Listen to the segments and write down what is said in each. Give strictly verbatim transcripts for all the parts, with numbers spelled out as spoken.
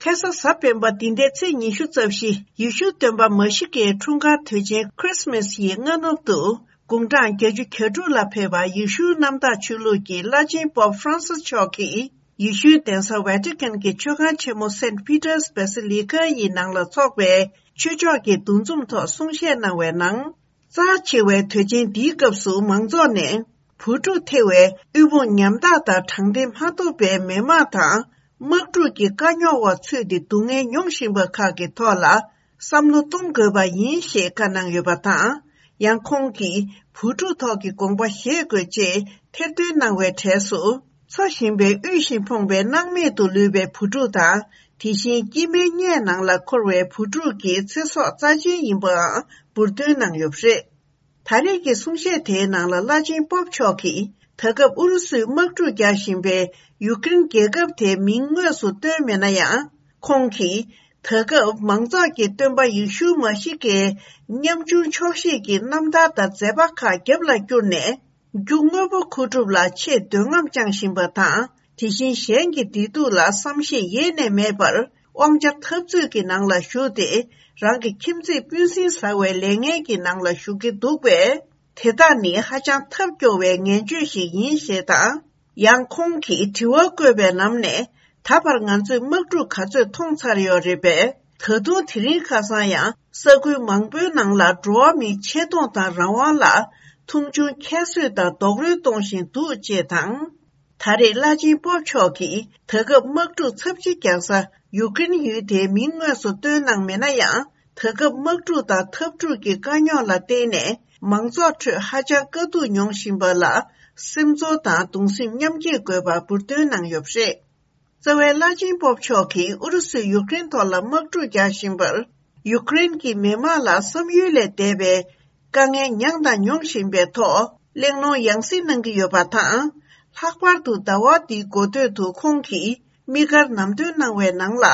ཁ་སང་གཟའ་སྤེན་པ་འདི་ཟླའི་ཚེས་ཉི་ཤུ་རྩ་བཞི། ཡེ་ཤུ་སྟོན་པ་མ་ཤི་ཀའི་འཁྲུངས་སྐར་དུས་ཆེན་Christmas ཡི་སྔ་ནུབ་ཏུ། དགུང་གྲངས་བརྒྱད་ཅུ་གྱ་དྲུག་ལ་ཕེབས་པ་ཡེ་ཤུའི་གནམ་བདག་ཆོས་ལུགས་ཀྱི་བླ་ཆེན་པོབ་ཧྥ་རན་སིས་མཆོག་གིས། ཡེ་ཤུའི་གདན་ས་ཝེ་ཏི་ཀན་གྱི་མཆོད་ཁང་ཆེན་མོ་Saint Peter's Basilica ཡི་ནང་ལ་འཚོགས་པའི་ཆོས་ཕྱོགས་ཀྱི་འདུ་འཛོམས་ཐོག་གསུང་བཤད་གནང་བའི་ནང་། རྩ་ཆེ་བའི་དུས་ཆེན་འདིའི་སྐབས་སུ་མང་ཚོགས་ནས་བུ་ཕྲུག་ཐེ་བའི་དབུལ་ཕོངས་ཉམ་ཐག་དང་དྲང་བདེན་མ་ཐོབ་པའི་མི་དམངས་དང་། དམག་འཁྲུག་གི་དཀའ་རྙོག་འོག་ཚུད་དེ་སྡུག་བསྔལ་མྱོང་བཞིན་པ་ཁག་གི་ཐོག་ལ་བསམ་བློ་གཏོང་དགོས་པ་ཡིན་ཞེས་བཀའ་གནང་ཡོད་པ་དང་། ཡང་ཁོང་གིས་བུ་ཕྲུག་ཐོག་གི་དགོངས་པ་བཞེས་དགོས་ཅེས་ཐེར་འདོན་གནང་བའི་གྲས་སུ། འཚོ་བཞིན་པའི་དབུལ་ཞིང་ཕོངས་པའི་སྣང་མེད་དུ་ལུས་པའི་བུ་ཕྲུག་དང་། དེ་བཞིན་སྐྱེས་མའི་མངལ་ནང་ལ་འཁོར་བའི་བུ་ཕྲུག་གི་ཚེ་སྲོག་རྩ་ཆེན་ཡིན་པའང་འབུར་འདོན་གནང་ཡོད་པ་རེད། ད་རེས་ཀྱི་གསུང་བཤད་དེའི་ནང་ལ་བླ་ཆེན་པོབ་མཆོག་གིས། ད་སྐབས་ཨུ་རུ་སུས་དམག་འཁྲུག་རྒྱག་བཞིན་པའི་ཡུཀ་རེན་རྒྱལ་ཁབ་དེའི་མིང་དངོས་སུ་བཏོན་མེད་ན་ཡང་། ཁོང་གིས། ད་སྐབས་མང་ཚོགས་ཀྱིས་སྟོན་པ་ཡེ་ཤུ་མ་ཤི་ཀའི་ཉམ་ཆུང་ཆོག་ཤེས་ཀྱི་རྣམ་ཐར་དང་མཛད་པ་ཁག་རྒྱབ་ལ་བསྐྱུར་ནས། རྒྱུ་དངོས་པོ་མཁོ་སྒྲུབ་ལ་ཆེས་འདོད་རྔམ་བཅངས་བཞིན་པ་དང་། དེ་བཞིན་གཞན་གྱི་བདེ་སྡུག་ལ་བསམ་ཤེས་ཡེ་ནས་མེད་པར། དབང་ཆ་འཐབ་རྩོད་ཀྱི་ནང་ལ་ཞུགས་ཏེ། རང་གི་ཁྱིམ་མཚེས་སྤུན་སྲིང་ཟ་བའི་ལས་ངན་གྱི་ནང་ལ་ཞུགས་ཀྱི་འདུག་པས། དེ་དག་ནི་ཧ་ཅང་ཐབས་སྐྱོ་བའི་ངན་སྤྱོད་ཞིག་ཡིན་ཞེས་དང་། ཡང་ཁོང་གིས་དྲི་བ་བཀོད་པའི་ནང་ནས། ད་བར་ང་ཚོས་དམག་འཁྲུག་ག་ཚོད་མཐོང་ཚར་ཡོད་རེད་པས། ད་དུང་དེ་རིང་ཁ་སང་ཡང་ས་ཁུལ་མང་པོའི་ནང་ལ་འགྲོ་བ་མིའི་ཆེ་མཐོང་དང་རང་དབང་ལ་མཐོང་ཆུང་ཁྱད་གསོད་དང་རྡོག་རོལ་གཏོང་བཞིན་འདུག་ཅེས་དང་། ད་རེས་བླ་ཆེན་པོབ་མཆོག་གིས་ད་སྐབས་དམག་འཁྲུག་ཚབས་ཆེ་རྒྱག་ས་ཡུཀ་རེན་ཡུལ་དེའི་མིང་དངོས་སུ་བཏོན་གནང་མེད་ན་ཡང་། ད་སྐབས་དམག་འཁྲུག་དང་འཐབ་འཁྲུག་གི་དཀའ་རྙོག་ལ་བརྟེན་ནས་མང་ཚོགས་ཁྲོད་ཧ་ཅང་དཀའ་སྡུག་མྱོང་བཞིན་པ་ལ་སེམས་ཚོར་དང་གདུང་སེམས་མཉམ་སྐྱེད་དགོས་པ་འབུར་འདོན་གནང་ཡོད་པ་རེད། རྩ་བའི་བླ་ཆེན་པོབ་མཆོག་གིས་ཨུ་རུ་སུས་ཡུཀ་རེན་ཐོག་ལ་དམག་འཁྲུག་རྒྱག་བཞིན་པར། ཡུཀ་རེན་གྱི་མི་དམངས་ལ་བསམ་ཡུལ་ལས་འདས་པའི་དཀའ་ངལ་མྱངས་དང་མྱོང་བཞིན་པའི་ཐོག་གླེང་སློང་ཡང་སེ་གནང་གི་ཡོད་པ་དང་། ལྷག་པར་དུ་ཟླ་བ་འདིའི་འགོ་སྟོད་དུ་ཁོང་གིས་དམིགས་བཀར་ལམ་སྟོན་གནང་བའི་ནང་ལ།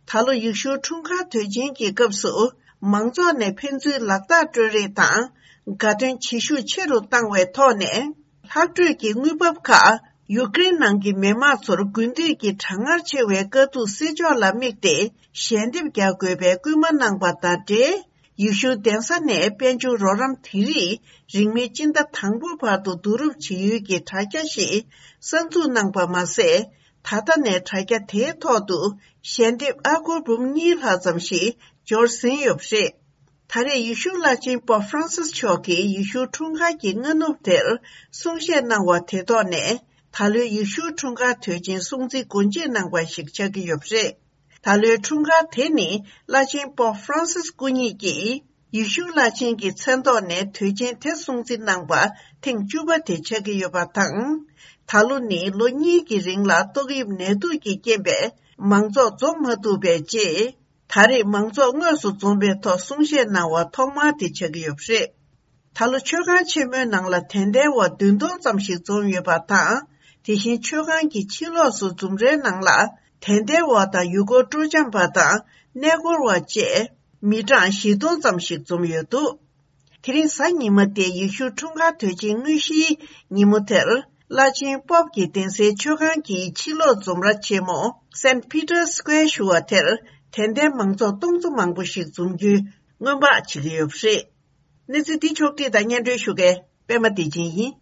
ད་ལོ་ཡེ་ཤུའི་འཁྲུངས་སྐར་དུས་ཆེན་གྱི་སྐབས་སུ། མང་ཚོགས་ནས་ཕན་ཚུན་ལག་རྟགས་སྤྲོད་རེས་དང་། དགའ་སྟོན་བྱེད་ཤུགས་ཆེ་རུ་བཏང་བའི་ཐོག་ནས། ལྷག་འཕྲོས་ཀྱི་དངུལ་འབབ་ཁག་ཡུཀ་རེན་ནང་གི་མི་དམངས་ཚོར་དགུན་དུས་ཀྱི་གྲང་ངར་ཆེ་བའི་དཀའ་སྡུག་སེལ་ཕྱོགས་ལ་དམིགས་ཏེ་ཞལ་འདེབས་རྒྱག་དགོས་པའི་སྐུལ་མ་གནང་པ་དང་འབྲེལ། ཡེ་ཤུ་གདན་ས་ནས་དཔལ་འབྱོར་རོགས་རམ་དེ་རིགས་རིང་མིན་སྤྱི་ཟླ་དང་པོ་བར་དུ་བསྡུ་རུབ་བྱེད་ཡུལ་གྱི་དྲ་རྒྱ་ཞིག་གསར་འཛུགས་གནང་པ་མ་ཟད། ད་ལྟ་ནས་དྲ་རྒྱ་དེའི་ཐོག་ཏུ་ཞལ་འདེབས་ཨ་སྒོར་འབུམ་གཉིས་ལྷག་ཙམ་ཞིག་འབྱོར་ཟིན་ཡོད་པ་རེད། ད་རེས་ཡེ་ཤུ་བླ་ཆེན་པོབ་ཧྥ་རན་སིས་མཆོག་གིས་ཡེ་ཤུའི་འཁྲུངས་སྐར་གྱི་སྔ་ནུབ་དེར་གསུང་བཤད་གནང་བ་དེ་ཐོག་ནས། ད་ལོའི་ཡེ་ཤུའི་འཁྲུངས་སྐར་དུས་ཆེན་སྲུང་བརྩི་སྒོ་འབྱེད་གནང་བ་ཞིག་ཆགས་ཀྱི་ཡོད་པ་རེད། ད་ལོའི་འཁྲུངས་སྐར་དེ་ནི་བླ་ཆེན་པོབ་ཧྥ་རན་སིས་སྐུ་ཉིད་ཀྱིས་ཡེ་ཤུ་བླ་ཆེན་གྱི་མཚན་ཐོག་ནས་དུས་ཆེན་དེ་སྲུང་བརྩི་གནང་པ་ཐེངས་བཅུ་པ་དེ་ཆགས་ཀྱི་ཡོད་པ་དང་། ད་ལོ་ནི་ལོ་གཉིས་ཀྱི་རིང་ལ་ཏོག་དབྱིབས་ནད་དུག་གི་རྐྱེན་པས་མང་ཚོགས་འཛོམས་མ་ཐུབ་པའི་རྗེས། ད་རེས་མང་ཚོགས་དངོས་སུ་འཛོམས་པའི་ཐོག་གསུང་བཤད་གནང་བ་ཐོག་མ་དེ་ཆགས་ཀྱི་ཡོད་པ་རེད། ད་ལོ་མཆོད་ཁང་ཆེན་མོའི་ནང་ལ་དད་ལྡན་བ་བདུན་སྟོང་ཙམ་ཞིག་འཛོམས་ཡོད་པ་དང་། དེ་བཞིན་མཆོད་ཁང་གི་ཕྱི་ལོགས་སུ་འཛོམས་རའི་ནང་ལ་དད་ལྡན་བ་དང་ཡུལ་སྐོར་སྤྲོ་འཆམ་པ་དང་གནས་སྐོར་བ་བཅས་མི་གྲངས་བཞི་སྟོང་ཙམ་ཞིག་འཛོམས་ཡོད་འདུག་དེ་རིང་གཟའ་ཉི་མ་སྟེ་ཡེ་ཤུའི་འཁྲུངས་སྐར་དུས་ཆེན་དངོས་གཞིའི་ཉིན་མོ་དེར། བླ་ཆེན་པོབ་ཀྱི་གདན་སའི་མཆོད་ཁང་གི་ཕྱི་ལོགས་འཛོམས་ར་ཆེན་མོ་Saint Peter's Square ཞུ་བ་དེར་དད་ལྡན་མང་ཚོགས་སྟོང་ཚོ་མང་པོ་ཞིག་འཛོམས་རྒྱུའི་སྔོན་དཔག་བྱེད་ཀྱི་ཡོད་པ་རེད། གནས་ཚུལ་འདི་ཕྱོགས་བསྒྲིགས་དང་སྙན་སྒྲོན་ཞུ་མཁན་པད་མ་བདེ་ཆེན་ཡིན།